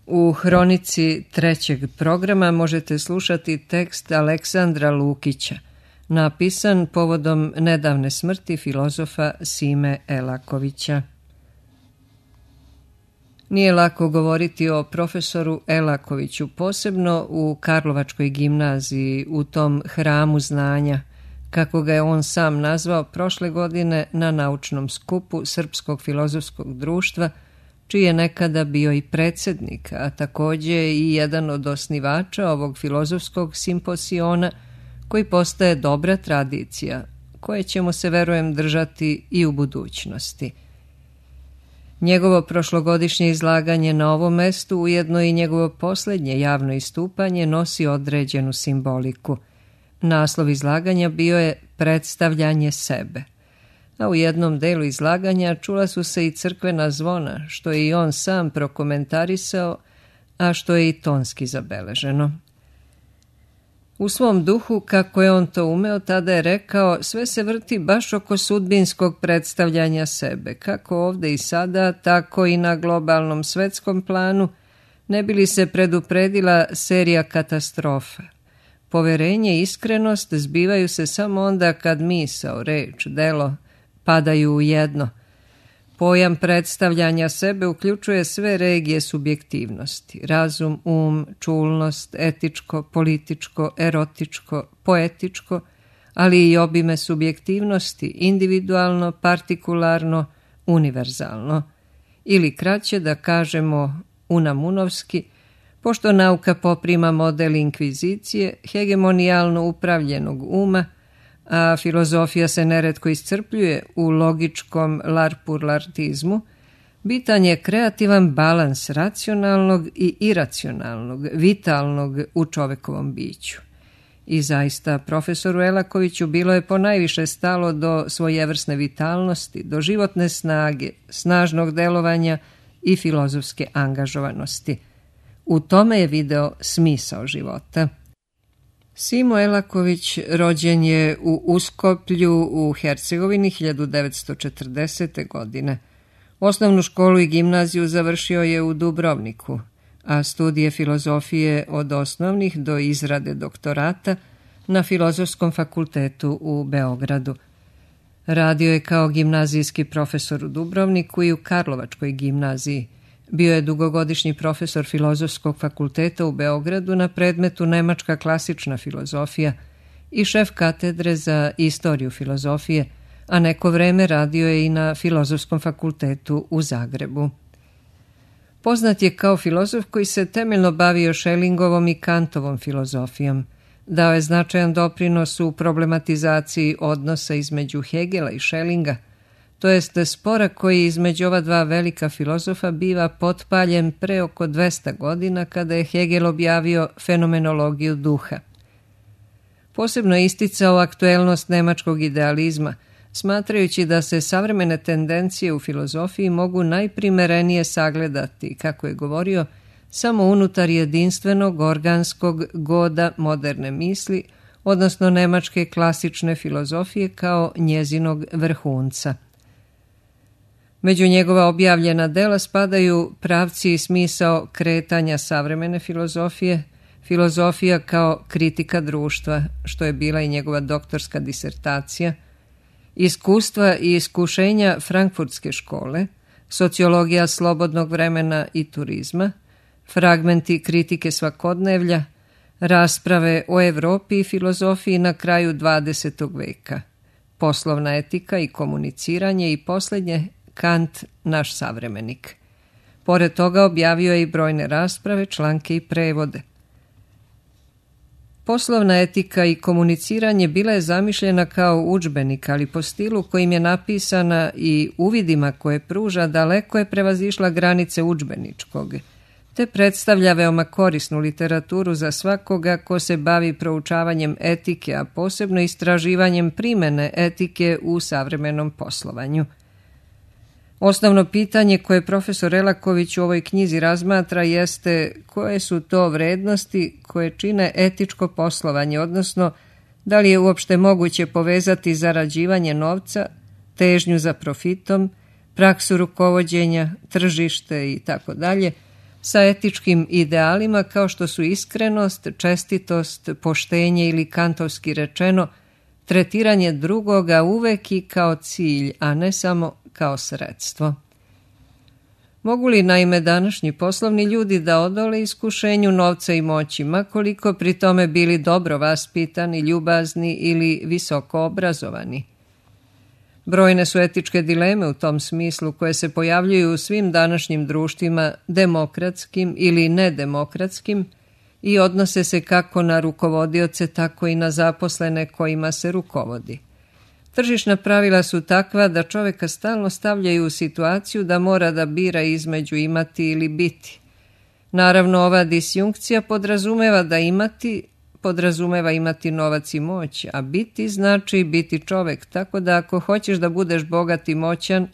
U hronici trećeg programa možete slušati tekst Aleksandra Lukića, napisan povodom nedavne smrti filozofa Sime Elakovića. Nije lako govoriti o profesoru Elakoviću, posebno u Karlovačkoj gimnaziji, u tom hramu znanja, kako ga je on sam nazvao prošle godine na naučnom skupu Srpskog filozofskog društva, čiji je nekada bio i predsjednik, a također i jedan od osnivača ovog filozofskog simposiona, koji postaje dobra tradicija, koje ćemo se, verujem, držati i u budućnosti. Njegovo prošlogodišnje izlaganje na ovom mestu, ujedno i njegovo posljednje javno istupanje, nosi određenu simboliku. Naslov izlaganja bio je predstavljanje sebe, a u jednom delu izlaganja čula su se i crkvena zvona, što je i on sam prokomentarisao, a što je i tonski zabeleženo. U svom duhu, kako je on to umeo, tada je rekao, sve se vrti baš oko sudbinskog predstavljanja sebe, kako ovdje i sada, tako i na globalnom svetskom planu, ne bi li se predupredila serija katastrofa. Poverenje i iskrenost zbivaju se samo onda kad misao, reč, delo padaju u jedno. Pojam predstavljanja sebe uključuje sve regije subjektivnosti, razum, čulnost, etičko, političko, erotičko, poetičko, ali i obime subjektivnosti, individualno, partikularno, univerzalno. Ili kraće da kažemo unamunovski, pošto nauka poprima model inkvizicije, hegemonijalno upravljenog uma, a filozofija se neretko iscrpljuje u logičkom larpurlartizmu, bitan je kreativan balans racionalnog i iracionalnog, vitalnog u čovekovom biću. I zaista, profesoru Elakoviću bilo je ponajviše stalo do svojevrsne vitalnosti, do životne snage, snažnog delovanja i filozofske angažovanosti. U tome je video smisao života. Simo Elaković rođen je u Uskoplju u Hercegovini 1940. godine. Osnovnu školu i gimnaziju završio je u Dubrovniku, a studije filozofije od osnovnih do izrade doktorata na Filozofskom fakultetu u Beogradu. Radio je kao gimnazijski profesor u Dubrovniku i u Karlovačkoj gimnaziji. Bio je dugogodišnji profesor Filozofskog fakulteta u Beogradu na predmetu Nemačka klasična filozofija i šef katedre za istoriju filozofije, a neko vreme radio je i na Filozofskom fakultetu u Zagrebu. Poznat je kao filozof koji se temeljno bavio Schellingovom i Kantovom filozofijom. Dao je značajan doprinos u problematizaciji odnosa između Hegela i Schellinga, to jest spora koji između ova dva velika filozofa biva potpaljen pre oko 200 godina kada je Hegel objavio fenomenologiju duha. Posebno je isticao aktuelnost nemačkog idealizma, smatrajući da se savremene tendencije u filozofiji mogu najprimerenije sagledati, kako je govorio, samo unutar jedinstvenog organskog goda moderne misli, odnosno nemačke klasične filozofije kao njezinog vrhunca. Među njegova objavljena dela spadaju Pravci i smisao kretanja savremene filozofije, Filozofija kao kritika društva, što je bila i njegova doktorska disertacija, Iskustva i iskušenja Frankfurtske škole, Sociologija slobodnog vremena i turizma, Fragmenti kritike svakodnevlja, Rasprave o Evropi i filozofiji na kraju 20. veka, Poslovna etika i komuniciranje i posljednje Kant, naš savremenik. Pored toga objavio je i brojne rasprave, članke i prevode. Poslovna etika i komuniciranje bila je zamišljena kao udžbenik, ali po stilu kojim je napisana i uvidima koje pruža daleko je prevazišla granice udžbeničkog, te predstavlja veoma korisnu literaturu za svakoga ko se bavi proučavanjem etike, a posebno istraživanjem primene etike u savremenom poslovanju. Osnovno pitanje koje profesor Elaković u ovoj knjizi razmatra jeste koje su to vrednosti koje čine etičko poslovanje, odnosno da li je uopšte moguće povezati zarađivanje novca, težnju za profitom, praksu rukovođenja, tržište i tako dalje, sa etičkim idealima kao što su iskrenost, čestitost, poštenje ili kantovski rečeno, tretiranje drugoga uvek i kao cilj, a ne samo kao sredstvo. Mogu li naime današnji poslovni ljudi da odole iskušenju novca i moći, ma koliko pri tome bili dobro vaspitani, ljubazni ili visoko obrazovani? Brojne su etičke dileme u tom smislu koje se pojavljuju u svim današnjim društvima, demokratskim ili nedemokratskim, i odnose se kako na rukovodioce, tako i na zaposlene kojima se rukovodi. Tržišna pravila su takva da čoveka stalno stavljaju u situaciju da mora da bira između imati ili biti. Naravno, ova disjunkcija podrazumeva imati novac i moć, a biti znači biti čovek, tako da ako hoćeš da budeš bogat i moćan,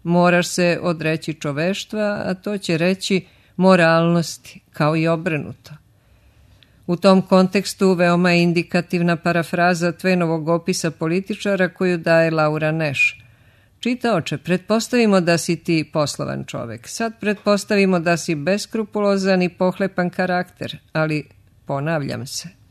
moraš se odreći čoveštva, a to će reći moralnosti, kao i obrnuto. U tom kontekstu veoma je indikativna parafraza Tvenovog opisa političara koju daje Laura Nash. Čitaoče, pretpostavimo da si ti poslovan čovek. Sad pretpostavimo da si beskrupulozan i pohlepan karakter, ali ponavljam se.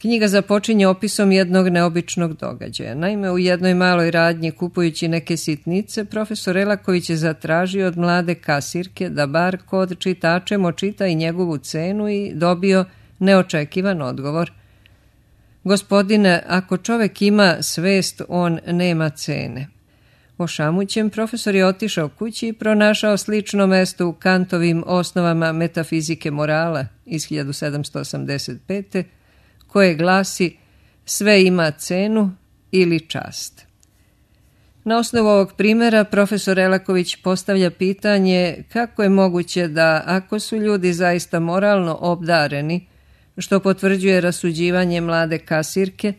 Knjiga započinje opisom jednog neobičnog događaja. Naime, u jednoj maloj radnji kupujući neke sitnice, profesor Elaković je zatražio od mlade kasirke da bar kod čitačem očita i njegovu cenu i dobio neočekivan odgovor. Gospodine, ako čovek ima svest, on nema cene. Ošamućen, profesor je otišao kući i pronašao slično mesto u Kantovim osnovama metafizike morala iz 1785. koje glasi sve ima cenu ili čast. Na osnovu ovog primjera profesor Elaković postavlja pitanje kako je moguće da ako su ljudi zaista moralno obdareni, što potvrđuje rasuđivanje mlade kasirke,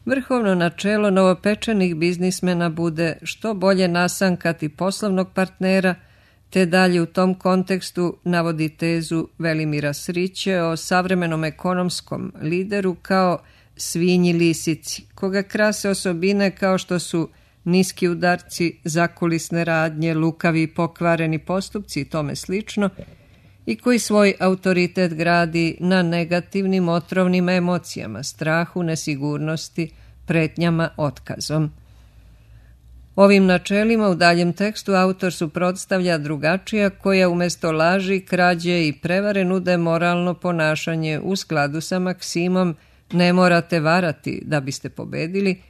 vrhovno načelo novopečenih biznismena bude što bolje nasankati poslovnog partnera, te dalje u tom kontekstu navodi tezu Velimira Sriće o savremenom ekonomskom lideru kao svinji lisici, koga krase osobine kao što su niski udarci, zakulisne radnje, lukavi i pokvareni postupci i tome slično, i koji svoj autoritet gradi na negativnim otrovnim emocijama, strahu, nesigurnosti, pretnjama, otkazom. Ovim načelima u daljem tekstu autor suprotstavlja drugačija koja umjesto laži, krađe i prevare nude moralno ponašanje u skladu sa maksimom ne morate varati da biste pobedili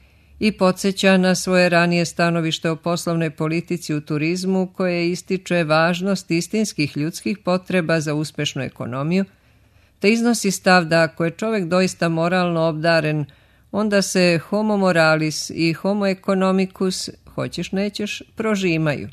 i podsjeća na svoje ranije stanovište o poslovnoj politici u turizmu koje ističe važnost istinskih ljudskih potreba za uspešnu ekonomiju, te iznosi stav da ako je čovjek doista moralno obdaren, onda se homo moralis i homo economicus, hoćeš nećeš, prožimaju.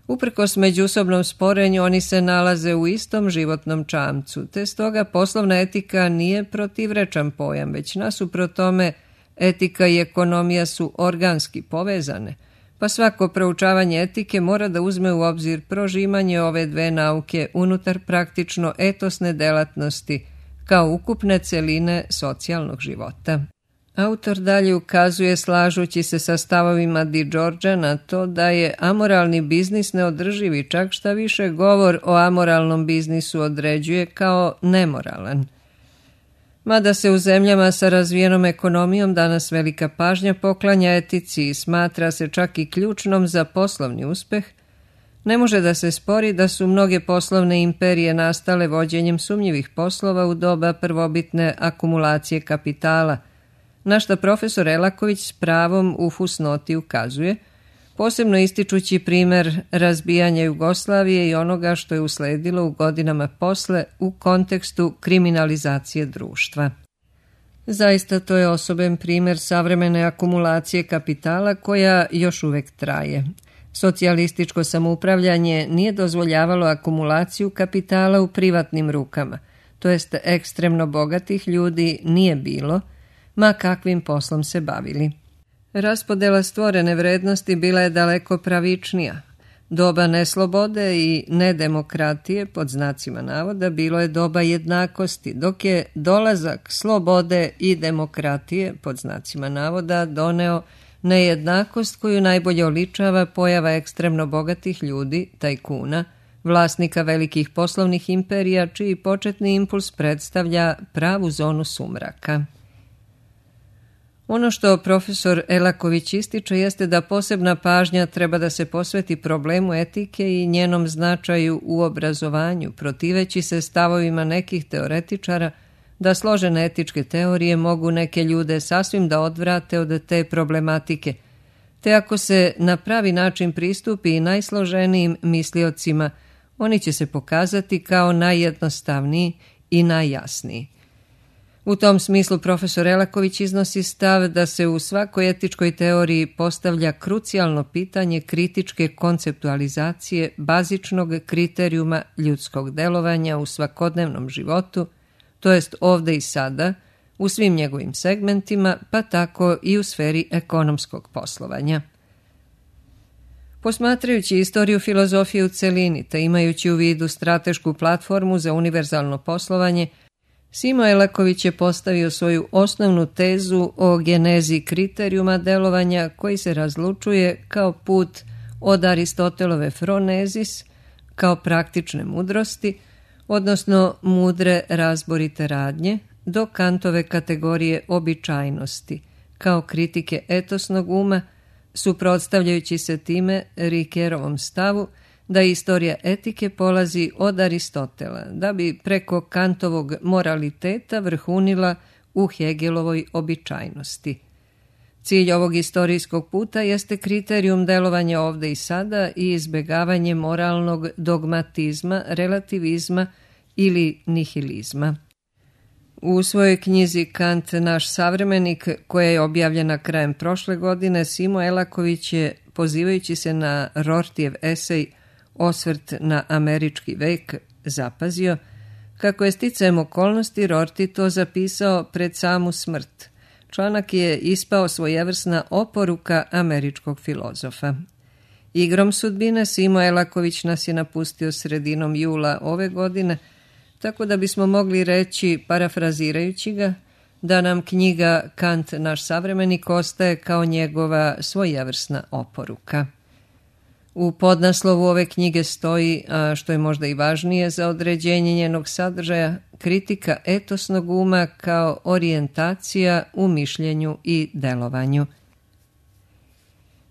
Uprkos međusobnom sporenju oni se nalaze u istom životnom čamcu, te stoga poslovna etika nije protivrečan pojam, već nasuprot tome etika i ekonomija su organski povezane, pa svako proučavanje etike mora da uzme u obzir prožimanje ove dve nauke unutar praktično etosne delatnosti kao ukupne celine socijalnog života. Autor dalje ukazuje, slažući se sa stavovima Di Giorgia, na to da je amoralni biznis neodrživ i čak šta više govor o amoralnom biznisu određuje kao nemoralan. Mada se u zemljama sa razvijenom ekonomijom danas velika pažnja poklanja etici i smatra se čak i ključnom za poslovni uspeh, ne može da se spori da su mnoge poslovne imperije nastale vođenjem sumnjivih poslova u doba prvobitne akumulacije kapitala, na što profesor Elaković s pravom u fusnoti ukazuje, posebno ističući primer razbijanja Jugoslavije i onoga što je usledilo u godinama posle u kontekstu kriminalizacije društva. Zaista to je osoben primer savremene akumulacije kapitala koja još uvek traje. Socijalističko samoupravljanje nije dozvoljavalo akumulaciju kapitala u privatnim rukama, to jest ekstremno bogatih ljudi nije bilo, ma kakvim poslom se bavili. Raspodela stvorene vrednosti bila je daleko pravičnija. Doba neslobode i nedemokratije, pod znacima navoda, bilo je doba jednakosti, dok je dolazak slobode i demokratije, pod znacima navoda, doneo nejednakost koju najbolje oličava pojava ekstremno bogatih ljudi, tajkuna, vlasnika velikih poslovnih imperija, čiji početni impuls predstavlja pravu zonu sumraka. Ono što profesor Elaković ističe jeste da posebna pažnja treba da se posveti problemu etike i njenom značaju u obrazovanju, protiveći se stavovima nekih teoretičara da složene etičke teorije mogu neke ljude sasvim da odvrate od te problematike, te ako se na pravi način pristupi i najsloženijim misliocima, oni će se pokazati kao najjednostavniji i najjasniji. U tom smislu profesor Elaković iznosi stav da se u svakoj etičkoj teoriji postavlja krucijalno pitanje kritičke konceptualizacije bazičnog kriterijuma ljudskog delovanja u svakodnevnom životu, to jest ovde i sada, u svim njegovim segmentima, pa tako i u sferi ekonomskog poslovanja. Posmatrajući istoriju filozofije u celini, te imajući u vidu stratešku platformu za univerzalno poslovanje, Simo Elaković je postavio svoju osnovnu tezu o genezi kriterijuma delovanja koji se razlučuje kao put od Aristotelove phronezis, kao praktične mudrosti, odnosno mudre razborite radnje, do Kantove kategorije običajnosti, kao kritike etosnog uma, suprotstavljajući se time Riquerovom stavu da istorija etike polazi od Aristotela, da bi preko Kantovog moraliteta vrhunila u Hegelovoj običajnosti. Cilj ovog istorijskog puta jeste kriterijum delovanja ovde i sada i izbjegavanje moralnog dogmatizma, relativizma ili nihilizma. U svojoj knjizi Kant, naš savremenik, koja je objavljena krajem prošle godine, Simo Elaković je, pozivajući se na Rortijev esej Osvrt na američki vek, zapazio kako je sticajem okolnosti Rorty to zapisao pred samu smrt. Članak je ispao svojevrsna oporuka američkog filozofa. Igrom sudbine Simo Elaković nas je napustio sredinom jula ove godine, tako da bismo mogli reći, parafrazirajući ga, da nam knjiga Kant, naš savremenik, ostaje kao njegova svojevrsna oporuka. U podnaslovu ove knjige stoji, a što je možda i važnije za određenje njenog sadržaja, kritika etosnog uma kao orijentacija u mišljenju i delovanju.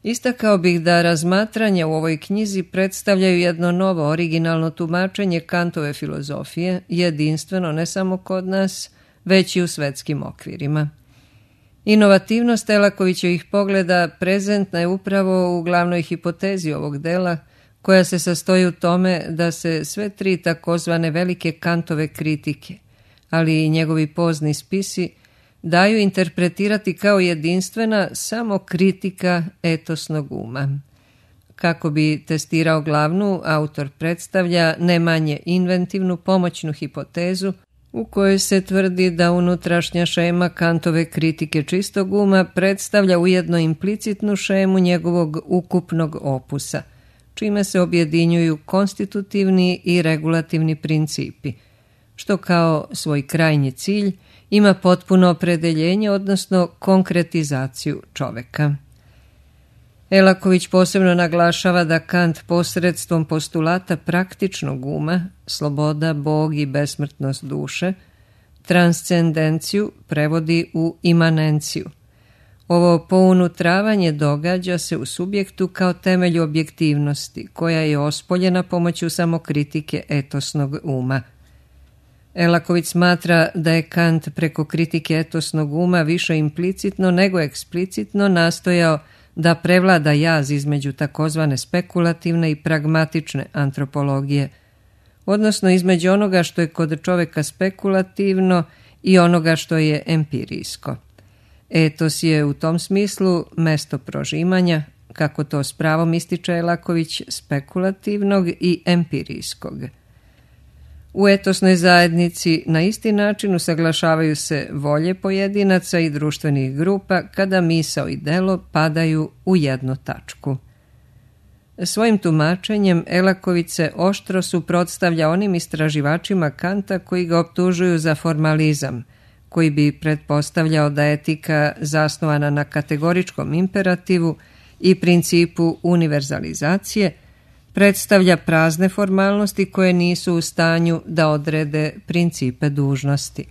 Istakao bih da razmatranja u ovoj knjizi predstavljaju jedno novo originalno tumačenje Kantove filozofije, jedinstveno ne samo kod nas, već i u svetskim okvirima. Inovativnost Elakovićevih pogleda prezentna je upravo u glavnoj hipotezi ovog dela, koja se sastoji u tome da se sve tri takozvane velike Kantove kritike, ali i njegovi pozni spisi, daju interpretirati kao jedinstvena samo kritika etosnog uma. Kako bi testirao glavnu, autor predstavlja ne manje inventivnu pomoćnu hipotezu u kojoj se tvrdi da unutrašnja šema Kantove kritike čistog uma predstavlja ujedno implicitnu šemu njegovog ukupnog opusa, čime se objedinjuju konstitutivni i regulativni principi, što kao svoj krajnji cilj ima potpuno opredeljenje, odnosno konkretizaciju čoveka. Elaković posebno naglašava da Kant posredstvom postulata praktičnog uma, sloboda, Bog i besmrtnost duše, transcendenciju prevodi u imanenciju. Ovo pounutravanje događa se u subjektu kao temelju objektivnosti, koja je ospoljena pomoću samokritike etosnog uma. Elaković smatra da je Kant preko kritike etosnog uma više implicitno nego eksplicitno nastojao da prevlada jaz između takozvane spekulativne i pragmatične antropologije, odnosno između onoga što je kod čoveka spekulativno i onoga što je empirijsko. Etos je u tom smislu mesto prožimanja, kako to s pravom ističe Elaković, spekulativnog i empirijskog. U etosnoj zajednici na isti način usaglašavaju se volje pojedinaca i društvenih grupa kada misao i delo padaju u jednu tačku. Svojim tumačenjem Elaković se oštro suprotstavlja onim istraživačima Kanta koji ga optužuju za formalizam, koji bi pretpostavljao da etika zasnovana na kategoričkom imperativu i principu univerzalizacije predstavlja prazne formalnosti koje nisu u stanju da odrede principe dužnosti.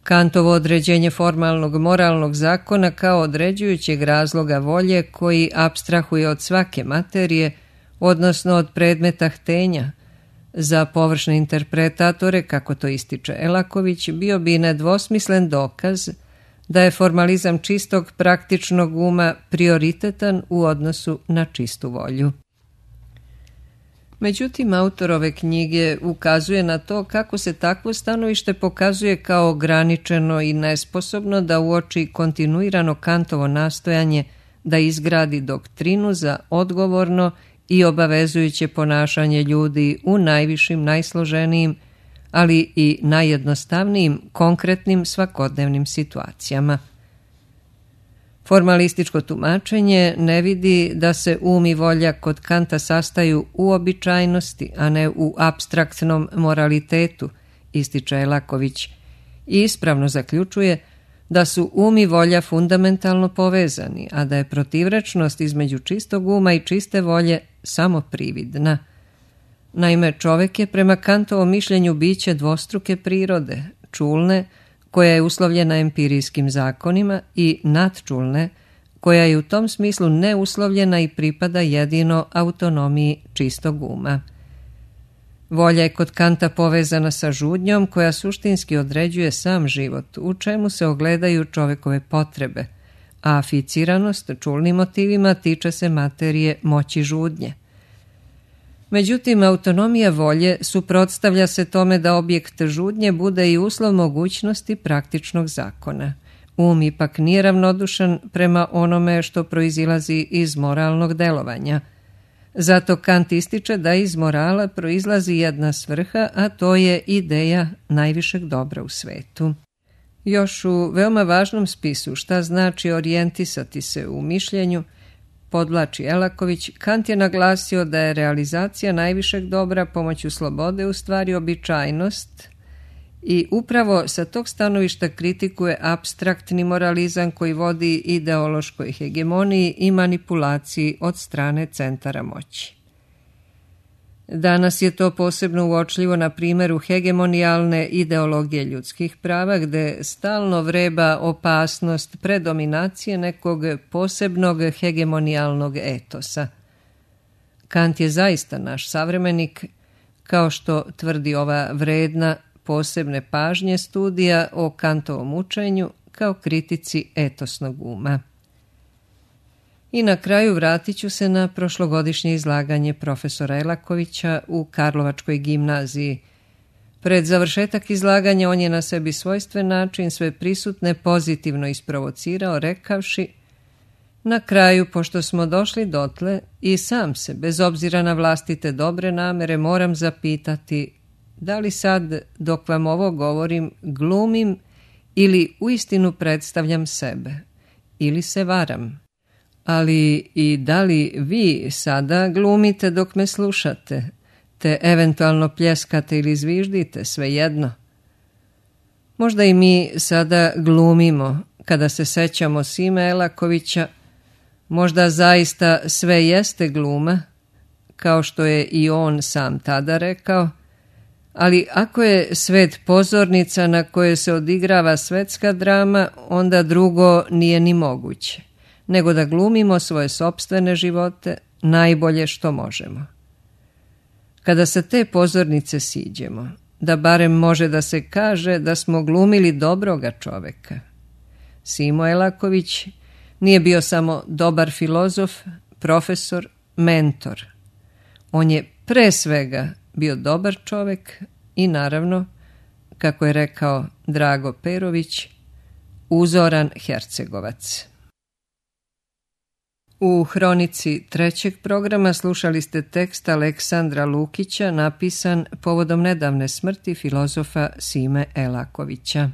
Kantovo određenje formalnog moralnog zakona kao određujućeg razloga volje koji apstrahuje od svake materije, odnosno od predmeta htenja, za površne interpretatore, kako to ističe Elaković, bio bi nedvosmislen dokaz da je formalizam čistog praktičnog uma prioritetan u odnosu na čistu volju. Međutim, autor ove knjige ukazuje na to kako se takvo stanovište pokazuje kao ograničeno i nesposobno da uoči kontinuirano Kantovo nastojanje da izgradi doktrinu za odgovorno i obavezujuće ponašanje ljudi u najvišim, najsloženijim, ali i najjednostavnijim, konkretnim svakodnevnim situacijama. Formalističko tumačenje ne vidi da se um i volja kod Kanta sastaju u običajnosti, a ne u apstraktnom moralitetu, ističe Elaković, i ispravno zaključuje da su um i volja fundamentalno povezani, a da je protivrečnost između čistog uma i čiste volje samo prividna. Naime, čovjek je prema Kantovom mišljenju biće dvostruke prirode, čulne, koja je uslovljena empirijskim zakonima, i nadčulne, koja je u tom smislu neuslovljena i pripada jedino autonomiji čistog uma. Volja je kod Kanta povezana sa žudnjom koja suštinski određuje sam život, u čemu se ogledaju čovjekove potrebe, a aficiranost čulnim motivima tiče se materije moći žudnje. Međutim, autonomija volje suprotstavlja se tome da objekt žudnje bude i uslov mogućnosti praktičnog zakona. Um ipak nije ravnodušan prema onome što proizilazi iz moralnog delovanja. Zato Kant ističe da iz morala proizlazi jedna svrha, a to je ideja najvišeg dobra u svetu. Još u veoma važnom spisu Šta znači orijentisati se u mišljenju, podvlači Elaković, Kant je naglasio da je realizacija najvišeg dobra pomoću slobode u stvari običajnost i upravo sa tog stanovišta kritikuje apstraktni moralizam koji vodi ideološkoj hegemoniji i manipulaciji od strane centara moći. Danas je to posebno uočljivo na primjeru hegemonijalne ideologije ljudskih prava, gde stalno vreba opasnost predominacije nekog posebnog hegemonijalnog etosa. Kant je zaista naš savremenik, kao što tvrdi ova vredna posebne pažnje studija o Kantovom učenju kao kritici etosnog uma. I na kraju vratit ću se na prošlogodišnje izlaganje profesora Elakovića u Karlovačkoj gimnaziji. Pred završetak izlaganja on je na sebi svojstven način sve prisutne pozitivno isprovocirao, rekavši: na kraju, pošto smo došli dotle, i sam se, bez obzira na vlastite dobre namere, moram zapitati da li sad, dok vam ovo govorim, glumim ili uistinu predstavljam sebe, ili se varam. Ali i da li vi sada glumite dok me slušate, te eventualno pljeskate ili zviždite, svejedno. Možda i mi sada glumimo kada se sećamo Sime Elakovića, možda zaista sve jeste gluma, kao što je i on sam tada rekao, ali ako je svet pozornica na kojoj se odigrava svetska drama, onda drugo nije ni moguće, nego da glumimo svoje sopstvene živote najbolje što možemo. Kada sa te pozornice siđemo, da barem može da se kaže da smo glumili dobroga čoveka. Simo Elaković nije bio samo dobar filozof, profesor, mentor. On je pre svega bio dobar čovek i naravno, kako je rekao Drago Perović, uzoran Hercegovac. U hronici trećeg programa slušali ste tekst Aleksandra Lukića napisan povodom nedavne smrti filozofa Sime Elakovića.